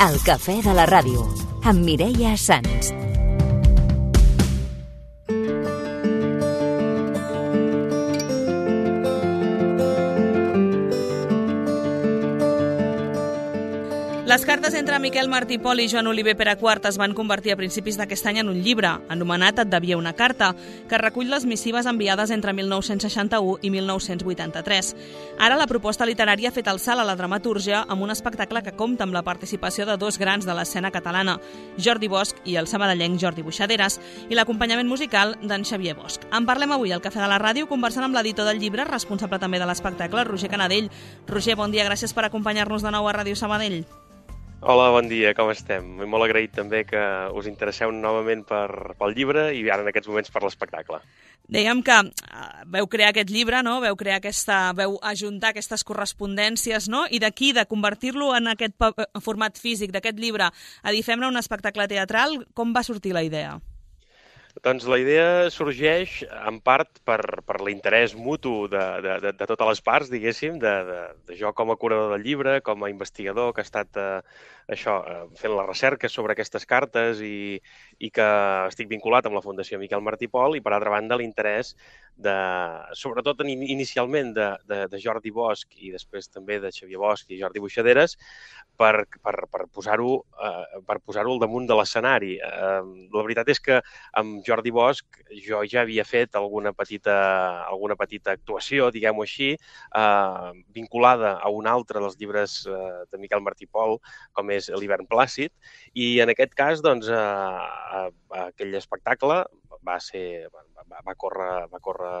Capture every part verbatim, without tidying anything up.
El cafè de la ràdio, amb Mireia Sans. Les cartes entre Miquel Martí i Pol i Joan Oliver Peraquart es van convertir a principis d'aquest any en un llibre, anomenat Et devia una carta, que recull les missives enviades entre mil nou-cents seixanta-u i mil nou-cents vuitanta-tres. Ara la proposta literària ha fet el salt a la dramatúrgia amb un espectacle que compta amb la participació de dos grans de l'escena catalana, Jordi Bosch i el sabadellenc Jordi Buixaderes, i l'acompanyament musical d'en Xavier Bosch. En parlem avui al Cafè de la Ràdio, conversant amb l'editor del llibre, responsable també de l'espectacle, Roger Canadell. Roger, bon dia, gràcies per acompanyar-nos de nou a Ràdio Sabadell. Hola, bon dia, com estem? Molt agraït també que us interesseu novament per, pel llibre i ara en aquests moments per l'espectacle. Dèiem que veu crear aquest llibre, no? Veu crear aquesta, veu ajuntar aquestes correspondències, no? I d'aquí, de convertir-lo en aquest format físic d'aquest llibre a dir, fem-ne un espectacle teatral, com va sortir la idea? Doncs la idea sorgeix en part per, per l'interès mutu de, de, de, de totes les parts, diguéssim, de, de, de jo com a curador del llibre, com a investigador que ha estat eh, això, eh, fent la recerca sobre aquestes cartes i, i que estic vinculat amb la Fundació Miquel Martí i Pol, i per altra banda l'interès de, sobretot inicialment de, de, de Jordi Bosch i després també de Xavier Bosch i Jordi Buixaderes, per, per, per posar-ho eh, per posar-ho al damunt de l'escenari. Eh, la veritat és que amb Jordi Bosch jo ja havia fet alguna petita, alguna petita actuació, diguem-ho així, eh, vinculada a un altre dels llibres eh, de Miquel Martí i Pol, com és L'hivern plàcid, i en aquest cas, doncs, eh, aquell espectacle va ser, va, va, córrer, va córrer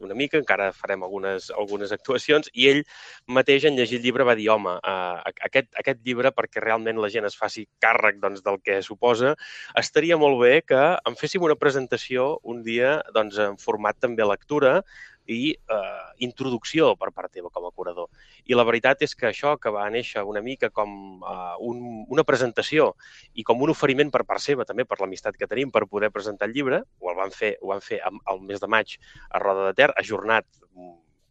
una mica, encara farem algunes, algunes actuacions, i ell mateix en llegir el llibre va dir, home, eh, aquest, aquest llibre, perquè realment la gent es faci càrrec doncs, del que suposa, estaria molt bé que en féssim una presentació un dia doncs, en format també lectura i eh, introducció per part teva com a curador. I la veritat és que això que va néixer una mica com eh, un, una presentació i com un oferiment per part seva, també per l'amistat que tenim per poder presentar el llibre, ho van fer, ho van fer al mes de maig a Roda de Ter, ajornat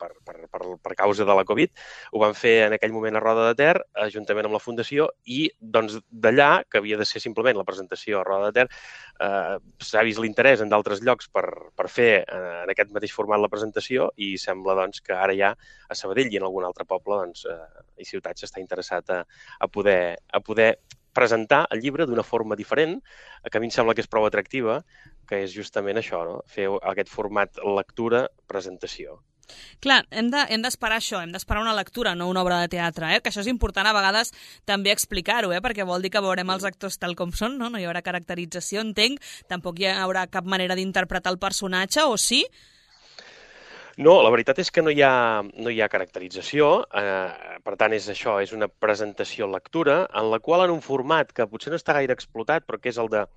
Per, per, per, per causa de la Covid, ho van fer en aquell moment a Roda de Ter, juntament amb la Fundació, i doncs d'allà, que havia de ser simplement la presentació a Roda de Ter, eh, s'ha vist l'interès en d'altres llocs per, per fer eh, en aquest mateix format la presentació i sembla doncs, que ara ja a Sabadell i en algun altre poble doncs, eh, i ciutat s'està interessat a, a, poder, a poder presentar el llibre d'una forma diferent, que a mi em sembla que és prou atractiva, que és justament això, no? Fer aquest format lectura-presentació. Clar, hem de, hem d'esperar això, hem d'esperar una lectura, no una obra de teatre, eh? Que això és important a vegades també explicar-ho, eh? Perquè vol dir que veurem els actors tal com són, no? No hi haurà caracterització, entenc, tampoc hi haurà cap manera d'interpretar el personatge, o sí? No, la veritat és que no hi ha, no hi ha caracterització, eh, per tant és això, és una presentació-lectura, en la qual en un format que potser no està gaire explotat, però que és el de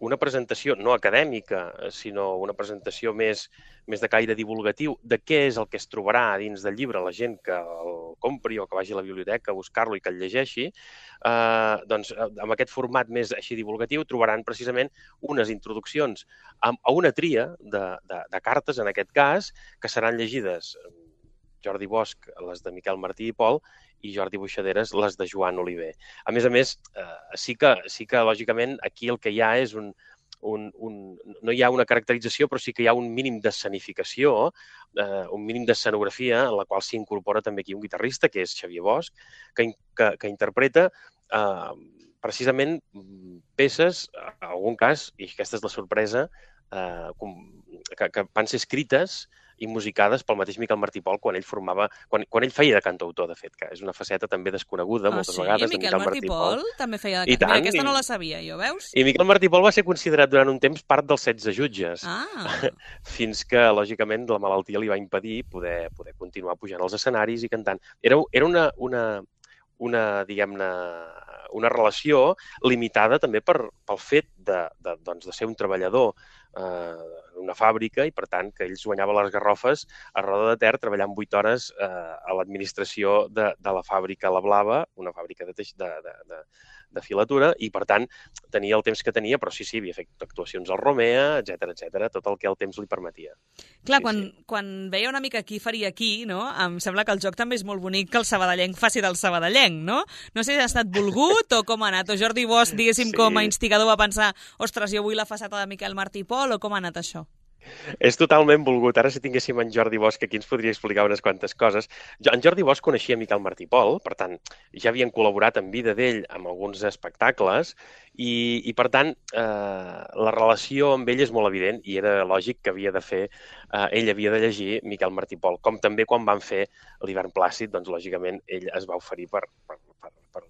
una presentació no acadèmica, sinó una presentació més, més de caire divulgatiu de què és el que es trobarà dins del llibre la gent que el compri o que vagi a la biblioteca a buscar-lo i que el llegeixi, eh, doncs amb aquest format més així divulgatiu trobaran precisament unes introduccions a, a una tria de, de, de cartes, en aquest cas, que seran llegides Jordi Bosch, les de Miquel Martí i Pol, i Jordi Buixaderes, les de Joan Oliver. A més a més, eh, sí, que, sí que, lògicament, aquí el que hi ha és un, un, un... no hi ha una caracterització, però sí que hi ha un mínim d'escenificació, eh, un mínim d'escenografia, en la qual s'incorpora també aquí un guitarrista, que és Xavier Bosch, que, que, que interpreta eh, precisament peces, en algun cas, i aquesta és la sorpresa, eh, que, que van ser escrites i musicades pel mateix Miquel Martí i Pol quan ell formava, quan, quan ell feia de cantautor, de fet, que és una faceta també desconeguda ah, moltes sí? vegades de Miquel Miquel Martí i Pol. Pol també feia de cantautor. Aquesta no la sabia jo, veus? I Miquel Martí i Pol va ser considerat durant un temps part dels setze jutges, ah. fins que, lògicament, la malaltia li va impedir poder, poder continuar pujant als escenaris i cantant. Era, era una, una, una, diguem-ne, una relació limitada també per, pel fet de, de, doncs, de ser un treballador eh, en una fàbrica i, per tant, que ells guanyaven les garrofes a Roda de Ter treballant vuit hores eh, a l'administració de, de la fàbrica La Blava, una fàbrica de, teix, de, de, de, de filatura, i, per tant, tenia el temps que tenia, però sí, sí, havia fet actuacions al Romea, etcètera, etcètera, tot el que el temps li permetia. Clar, sí, quan, sí. quan veia una mica qui faria qui, no? Em sembla que el joc també és molt bonic que el sabadellenc faci del sabadellenc, no? No sé si ha estat volgut o com ha anat, o Jordi Bosch, diguéssim, sí. com a instigador va pensar, ostres, jo vull la faceta de Miquel Martí i Pol, o com ha anat això? És totalment volgut. Ara, si tinguéssim en Jordi Bosch, aquí ens podria explicar unes quantes coses. Jo, en Jordi Bosch coneixia Miquel Martí i Pol, per tant, ja havien col·laborat en vida d'ell amb alguns espectacles i, i per tant, eh, la relació amb ell és molt evident i era lògic que havia de fer, eh, ell havia de llegir Miquel Martí i Pol, com també quan van fer l'Hivern Plàcid, doncs, lògicament, ell es va oferir per, per, per, per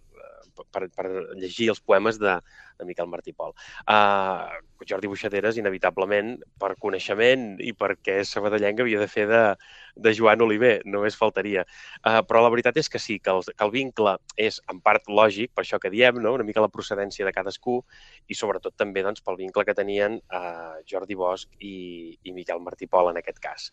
Per, per llegir els poemes de, de Miquel Martí i Pol. Uh, Jordi Buixaderes, inevitablement, per coneixement i perquè és sabadellenc, havia de fer de, de Joan Oliver, només faltaria. Uh, però la veritat és que sí, que el, que el vincle és en part lògic, per això que diem, no? Una mica la procedència de cadascú i sobretot també doncs, pel vincle que tenien uh, Jordi Bosch i, i Miquel Martí i Pol en aquest cas.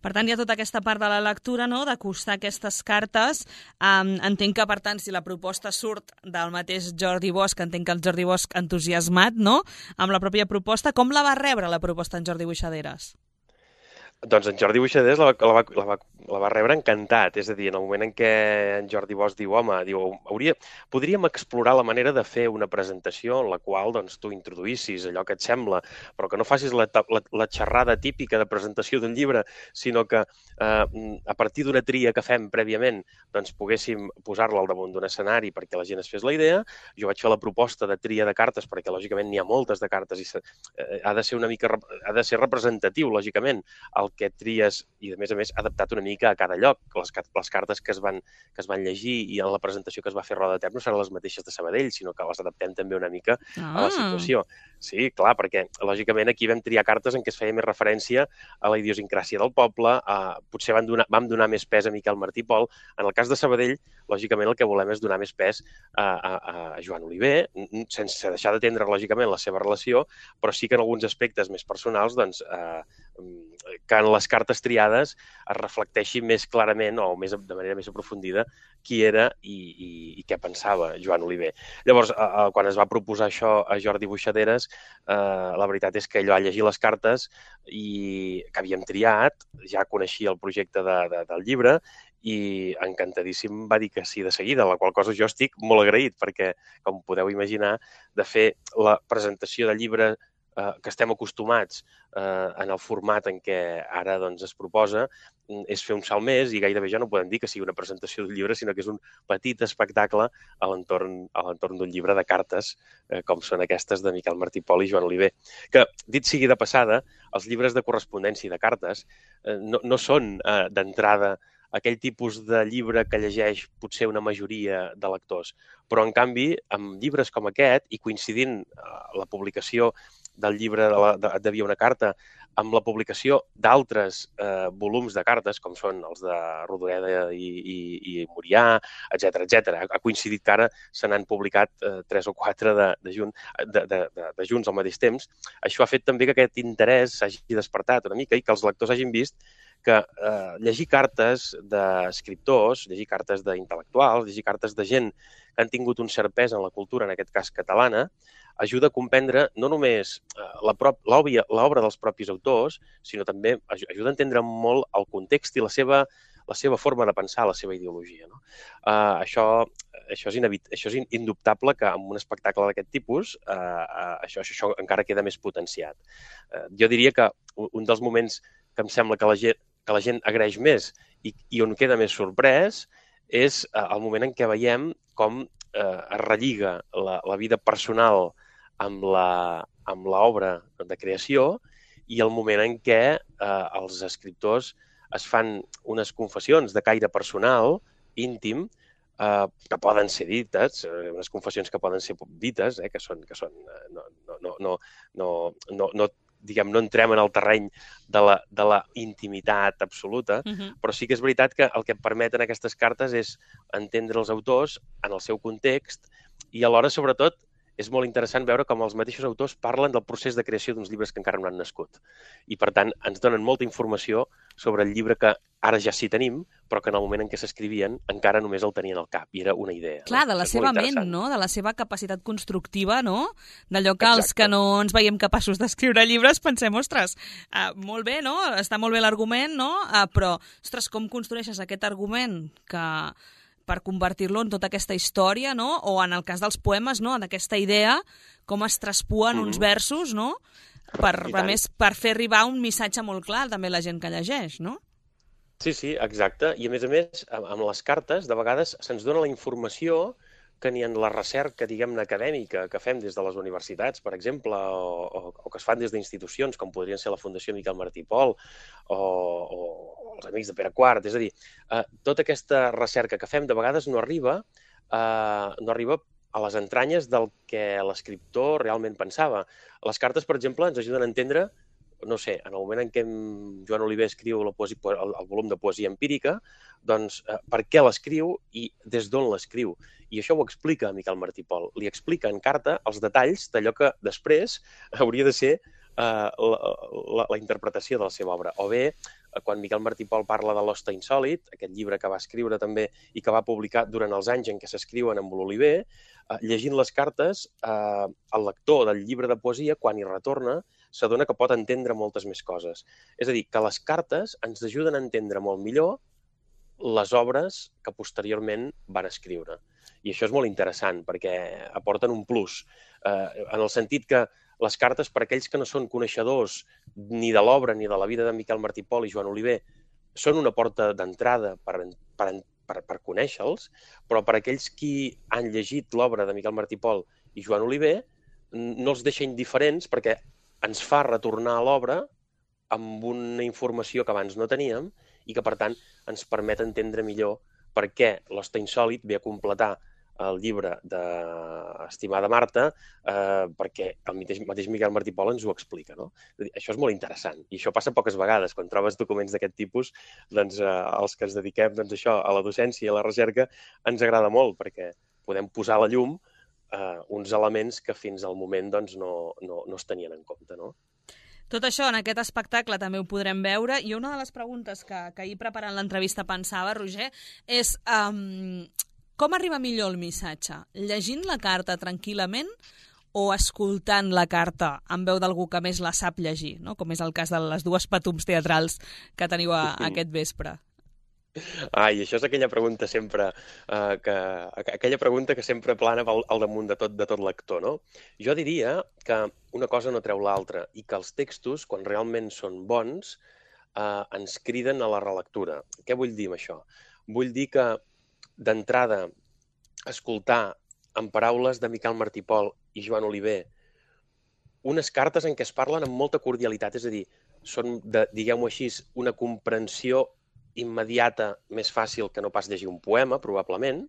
Per tant, hi ha tota aquesta part de la lectura, no?, d'acostar aquestes cartes. Um, entenc que, per tant, si la proposta surt del mateix Jordi Bosch, entenc que el Jordi Bosch entusiasmat, no?, amb la pròpia proposta, com la va rebre la proposta en Jordi Buixaderes? Doncs en Jordi Buixaderes la va, la, va, la, va, la va rebre encantat, és a dir, en el moment en què en Jordi Bosch diu, home, diu, hauria, podríem explorar la manera de fer una presentació en la qual doncs, tu introduïssis allò que et sembla, però que no facis la, la, la xerrada típica de presentació d'un llibre, sinó que eh, a partir d'una tria que fem prèviament doncs, poguéssim posar-la al damunt d'un escenari perquè la gent es fes la idea. Jo vaig fer la proposta de tria de cartes perquè, lògicament, n'hi ha moltes de cartes i eh, ha de ser una mica, ha de ser representatiu, lògicament, el que tries i, a més a més, adaptat una mica a cada lloc. Les, les cartes que es, van, que es van llegir i en la presentació que es va fer a Roda de Ter no seran les mateixes de Sabadell, sinó que les adaptem també una mica ah. a la situació. Sí, clar, perquè, lògicament, aquí vam triar cartes en què es feia més referència a la idiosincràsia del poble, a, potser van donar, vam donar més pes a Miquel Martí i Pol. En el cas de Sabadell, lògicament, el que volem és donar més pes a, a, a Joan Oliver, sense deixar d'atendre, lògicament, la seva relació, però sí que en alguns aspectes més personals, doncs, eh, que en les cartes triades es reflecteixi més clarament o més, de manera més aprofundida qui era i, i, i què pensava Joan Oliver. Llavors, eh, quan es va proposar això a Jordi Buixaderes, eh, la veritat és que ell va llegir les cartes i que havíem triat, ja coneixia el projecte de, de, del llibre i encantadíssim va dir que sí de seguida, la qual cosa jo estic molt agraït perquè, com podeu imaginar, de fer la presentació del llibre eh, que estem acostumats eh, en el format en què ara doncs, es proposa, és fer un salt més i gairebé ja no podem dir que sigui una presentació d'un llibre, sinó que és un petit espectacle a l'entorn a l'entorn d'un llibre de cartes, eh, com són aquestes de Miquel Martí i Pol i Joan Oliver. Que, dit sigui de passada, els llibres de correspondència i de cartes eh, no, no són eh, d'entrada aquell tipus de llibre que llegeix potser una majoria de lectors. Però, en canvi, amb llibres com aquest, i coincidint la publicació del llibre de, la, de, de Via una carta amb la publicació d'altres eh, volums de cartes, com són els de Rodoreda i, i, i Murià, etcètera, etcètera. Ha coincidit que ara se n'han publicat eh, tres o quatre de, de, junt, de, de, de, de junts al mateix temps. Això ha fet també que aquest interès s'hagi despertat una mica i que els lectors hagin vist que eh, llegir cartes d'escriptors, llegir cartes d'intel·lectuals, llegir cartes de gent que han tingut un cert pes en la cultura, en aquest cas catalana, ajuda a comprendre no només l'obra dels propis autors, sinó també ajuda a entendre molt el context i la seva, la seva forma de pensar, la seva ideologia. No? Uh, això, això, és inevit això és indubtable que en un espectacle d'aquest tipus uh, uh, això, això encara queda més potenciat. Uh, jo diria que un dels moments que em sembla que la gent, que la gent agraeix més i, i on queda més sorprès és uh, el moment en què veiem com uh, es relliga la, la vida personal amb la amb l'obra de creació i el moment en què eh, els escriptors es fan unes confessions de caire personal, íntim, eh, que poden ser dites, eh, unes confessions que poden ser dites, eh, que són, que són eh, no, no, no, no, no, no, no, diguem, no entrem en el terreny de la, de la intimitat absoluta, uh-huh. però sí que és veritat que el que permeten aquestes cartes és entendre els autors en el seu context i alhora, sobretot, és molt interessant veure com els mateixos autors parlen del procés de creació d'uns llibres que encara no han nascut. I, per tant, ens donen molta informació sobre el llibre que ara ja sí tenim, però que en el moment en què s'escrivien encara només el tenien al cap, i era una idea. Clar, no? de la Això és seva molt ment, interessant. no? De la seva capacitat constructiva, no? D'allò que els Exacte. que no ens veiem capaços d'escriure llibres pensem, ostres, uh, molt bé, no? Està molt bé l'argument, no? Uh, però, ostres, com construeixes aquest argument que per convertir-lo en tota aquesta història, no? O en el cas dels poemes, no? D'aquesta idea, com es traspuen mm-hmm. uns versos, no? Per, a més, per fer arribar un missatge molt clar també a la gent que llegeix, no? Sí, sí, exacte. I a més a més, amb les cartes, de vegades se'ns dona la informació que ni en la recerca, diguem-ne, acadèmica que fem des de les universitats, per exemple, o, o, o que es fan des d'institucions, com podrien ser la Fundació Miquel Martí i Pol o, o els Amics de Pere Quart. És a dir, eh, tota aquesta recerca que fem de vegades no arriba, eh, no arriba a les entranyes del que l'escriptor realment pensava. Les cartes, per exemple, ens ajuden a entendre, no sé, en el moment en què Joan Oliver escriu la poesia, el, el volum de poesia empírica, doncs eh, per què l'escriu i des d'on l'escriu. I això ho explica Miquel Martí i Pol. Li explica en carta els detalls d'allò que després hauria de ser eh, la, la, la interpretació de la seva obra. O bé, eh, quan Miquel Martí i Pol parla de l'Hoste Insòlit, aquest llibre que va escriure també i que va publicar durant els anys en què s'escriuen amb l'Oliver, eh, llegint les cartes, eh, el lector del llibre de poesia, quan hi retorna, s'adona que pot entendre moltes més coses. És a dir, que les cartes ens ajuden a entendre molt millor les obres que posteriorment van escriure. I això és molt interessant, perquè aporten un plus, eh, en el sentit que les cartes, per aquells que no són coneixedors ni de l'obra ni de la vida de Miquel Martí i Pol i Joan Oliver, són una porta d'entrada per, per, per, per conèixer-los, però per aquells qui han llegit l'obra de Miquel Martí i Pol i Joan Oliver, no els deixa indiferents perquè ens fa retornar a l'obra amb una informació que abans no teníem i que, per tant, ens permet entendre millor per què l'Hoste Insòlit ve a completar el llibre d'Estimada Marta, eh, perquè el mateix, mateix Miquel Martí i Pol ens ho explica, no? Això és molt interessant i això passa poques vegades. Quan trobes documents d'aquest tipus, doncs, eh, els que ens dediquem doncs, això, a la docència i a la recerca ens agrada molt perquè podem posar a la llum eh, uns elements que fins al moment doncs, no, no, no es tenien en compte, no? Tot això en aquest espectacle també ho podrem veure i una de les preguntes que, que ahir preparant l'entrevista pensava, Roger, és um, com arriba millor el missatge? Llegint la carta tranquil·lament o escoltant la carta en veu d'algú que més la sap llegir, no? Com és el cas de les dues patums teatrals que teniu a, a aquest vespre? Ah, i això és aquella pregunta sempre eh, que, aquella pregunta que sempre plana al, al damunt de tot, de tot lector, no? Jo diria que una cosa no treu l'altra i que els textos, quan realment són bons, eh, ens criden a la relectura. Què vull dir amb això? Vull dir que, d'entrada, escoltar en paraules de Miquel Martí i Pol i Joan Oliver unes cartes en què es parlen amb molta cordialitat, és a dir, són, de, diguem-ho així, una comprensió immediata, més fàcil que no pas llegir un poema, probablement,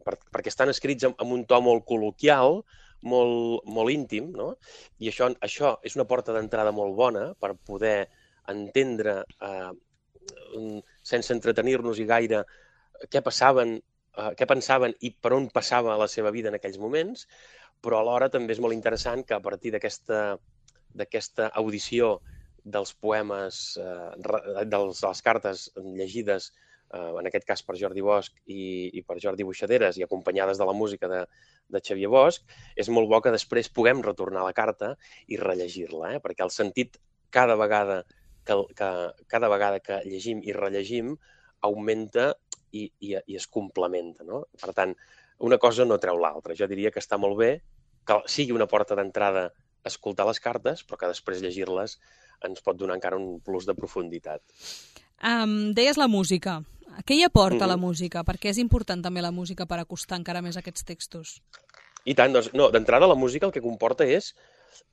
per, perquè estan escrits amb, amb un to molt col·loquial, molt, molt íntim, no? I això, això és una porta d'entrada molt bona per poder entendre, eh, sense entretenir-nos-hi gaire, què passaven, eh, què pensaven i per on passava la seva vida en aquells moments, però alhora també és molt interessant que a partir d'aquesta d'aquesta audició dels poemes, eh, de les cartes llegides, eh, en aquest cas per Jordi Bosch i, i per Jordi Buixaderes i acompanyades de la música de, de Xavier Bosch, és molt bo que després puguem retornar la carta i rellegir-la, eh? Perquè el sentit cada vegada que, que, cada vegada que llegim i rellegim augmenta i, i, i es complementa, no? Per tant, una cosa no treu l'altra. Jo diria que està molt bé que sigui una porta d'entrada escoltar les cartes, però que després llegir-les ens pot donar encara un plus de profunditat. Um, deies la música. Què hi aporta mm-hmm. la música? Perquè és important també la música per acostar encara més aquests textos. I tant, doncs, no, d'entrada la música el que comporta és,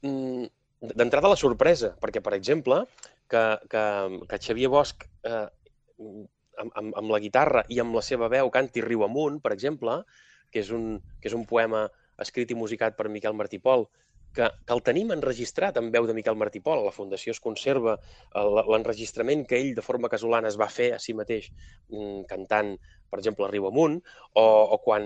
mm, d'entrada la sorpresa, perquè, per exemple, que, que, que Xavier Bosch eh, amb, amb, amb la guitarra i amb la seva veu canti Riu amunt, per exemple, que és un, que és un poema escrit i musicat per Miquel Martí i Pol, que, que el tenim enregistrat en veu de Miquel Martí Pol. A la Fundació es conserva l'enregistrament que ell de forma casolana es va fer a si mateix cantant, per exemple, a Riu Amunt, o, o, quan,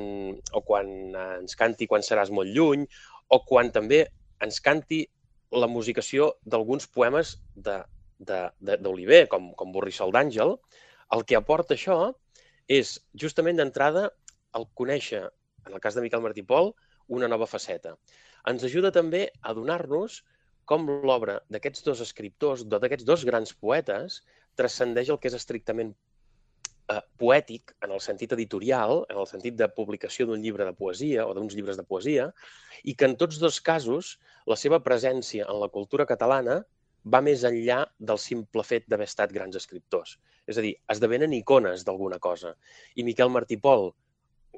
o quan ens canti Quan seràs molt lluny, o quan també ens canti la musicació d'alguns poemes d'Oliver, com, com Borrissol d'Àngel. El que aporta això és, justament d'entrada, el conèixer, en el cas de Miquel Martí Pol, una nova faceta. Ens ajuda també a donar-nos com l'obra d'aquests dos escriptors, d'aquests dos grans poetes, transcendeix el que és estrictament eh, poètic, en el sentit editorial, en el sentit de publicació d'un llibre de poesia o d'uns llibres de poesia, i que en tots dos casos la seva presència en la cultura catalana va més enllà del simple fet d'haver estat grans escriptors. És a dir, esdevenen icones d'alguna cosa. I Miquel Martí Pol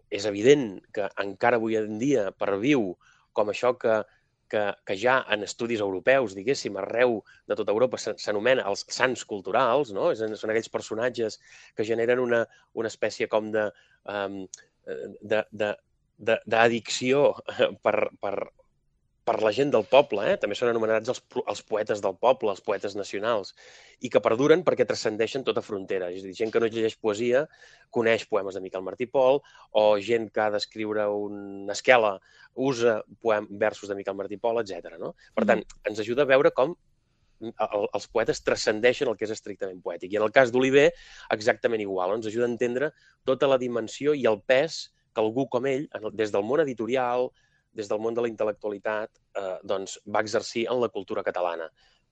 és evident que encara avui en dia perviu com això que, que, que ja en estudis europeus, diguéssim, arreu de tota Europa s'anomena els sants culturals, no? Són aquells personatges que generen una, una espècie com de, um, de, de, de, d'addicció per, per, per la gent del poble, eh? També són anomenats els, els poetes del poble, els poetes nacionals, i que perduren perquè transcendeixen tota frontera. És a dir, gent que no llegeix poesia coneix poemes de Miquel Martí Pol, o gent que ha d'escriure una esquela usa poem, versos de Miquel Martí Pol, etcètera. No? Per tant, ens ajuda a veure com els poetes transcendeixen el que és estrictament poètic. I en el cas d'Oliver, exactament igual. Ens ajuda a entendre tota la dimensió i el pes que algú com ell, des del món editorial, des del món de la intel·lectualitat, eh, doncs va exercir en la cultura catalana,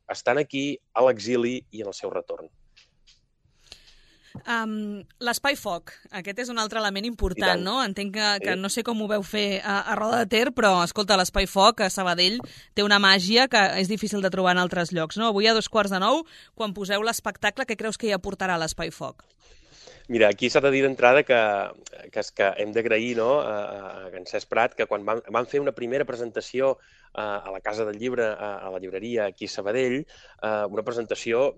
estant aquí, a l'exili i en el seu retorn. Um, L'Espai Foc, aquest és un altre element important, no? Entenc que, que no sé com ho veu fer a, a Roda de Ter, però, escolta, l'Espai Foc a Sabadell té una màgia que és difícil de trobar en altres llocs, no? Avui a dos quarts de nou, quan poseu l'espectacle, què creus que hi aportarà l'Espai Foc? Mira, aquí s'ha de dir d'entrada que, que, que hem d'agrair, no, a, a en Cesc Prat, que quan van, van fer una primera presentació a, a la Casa del Llibre, a, a la llibreria aquí a Sabadell, a, una presentació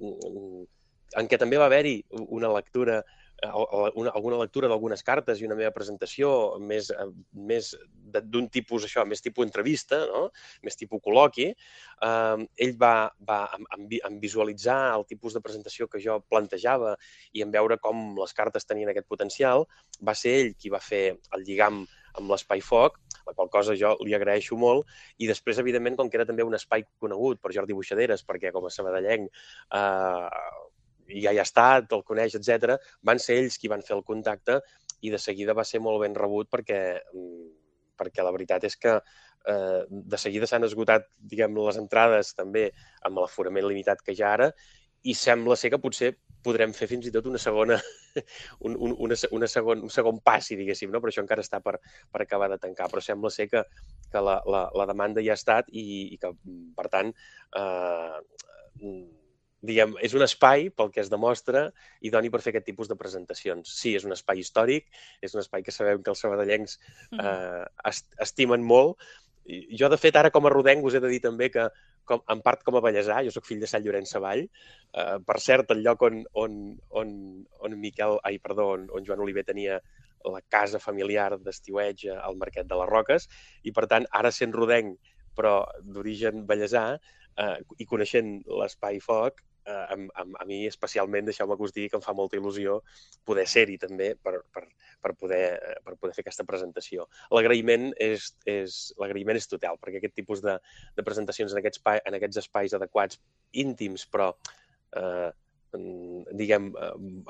en què també va haver-hi una lectura, una, alguna lectura d'algunes cartes i una meva presentació més, més d'un tipus, això, més tipus entrevista, no? Més tipus col·loqui. Eh, ell va, va en, en visualitzar el tipus de presentació que jo plantejava i en veure com les cartes tenien aquest potencial, va ser ell qui va fer el lligam amb l'Espai Foc, la qual cosa jo li agraeixo molt, i després, evidentment, com que era també un espai conegut per Jordi Buixaderes, perquè com a sabadellenc eh, ja hi ha estat, el coneix, etcètera, van ser ells qui van fer el contacte i de seguida va ser molt ben rebut perquè, perquè la veritat és que eh, de seguida s'han esgotat, diguem, les entrades també amb l'aforament limitat que hi ha ara i sembla ser que potser podrem fer fins i tot una segona, un, un, una, una segon, un segon passi, diguéssim, no? Però això encara està per, per acabar de tancar. Però sembla ser que, que la, la, la demanda ja ha estat i, i que, per tant, eh, diguem, és un espai pel que es demostra i doni per fer aquest tipus de presentacions. Sí, és un espai històric, és un espai que sabem que els sabadellencs eh, estimen molt. Jo, de fet, ara com a rodenc us he de dir també que, com, en part com a ballesà, jo sóc fill de Sant Llorenç Savall, eh, per cert, el lloc on, on, on, on Miquel, ai, perdó, on, on Joan Oliver tenia la casa familiar d'estiueig al Marquet de les Roques, i per tant, ara sent rodenc, però d'origen ballesà, eh, i coneixent l'Espai Foc, eh, a, a, a mi especialment, deixeu-me que us digui que em fa molta il·lusió poder ser-hi també per, per, per, poder, per poder fer aquesta presentació. L'agraïment és, és, l'agraïment és total, perquè aquest tipus de, de presentacions en aquests, en aquests espais adequats, íntims, però eh, diguem,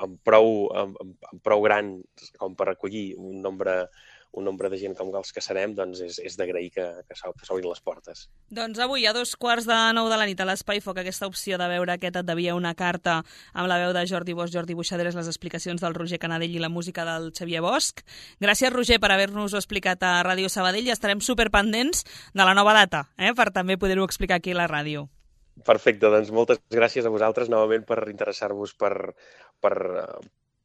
amb prou, amb, amb prou gran com per recollir un nombre un nombre de gent com els que serem, doncs és, és d'agrair que, que s'obrin les portes. Doncs avui, a dos quarts de nou de la nit, a l'Espai Foc, aquesta opció de veure aquest Et devia una carta amb la veu de Jordi Bosch, Jordi Buixaderes, les explicacions del Roger Canadell i la música del Xavier Bosch. Gràcies, Roger, per haver-nos-ho explicat a Ràdio Sabadell i estarem superpendents de la nova data, eh, per també poder-ho explicar aquí a la ràdio. Perfecte, doncs moltes gràcies a vosaltres novament per interessar-vos per... per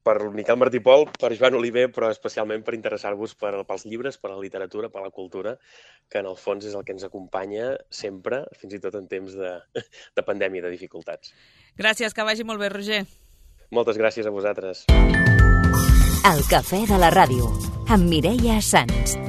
per Miquel Martí Pol, per Joan Oliver, però especialment per interessar-vos per, pels llibres, per la literatura, per la cultura, que en el fons és el que ens acompanya sempre, fins i tot en temps de, de pandèmia, de dificultats. Gràcies, que vagi molt bé, Roger. Moltes gràcies a vosaltres. El cafè de la ràdio, amb Mireia Sans.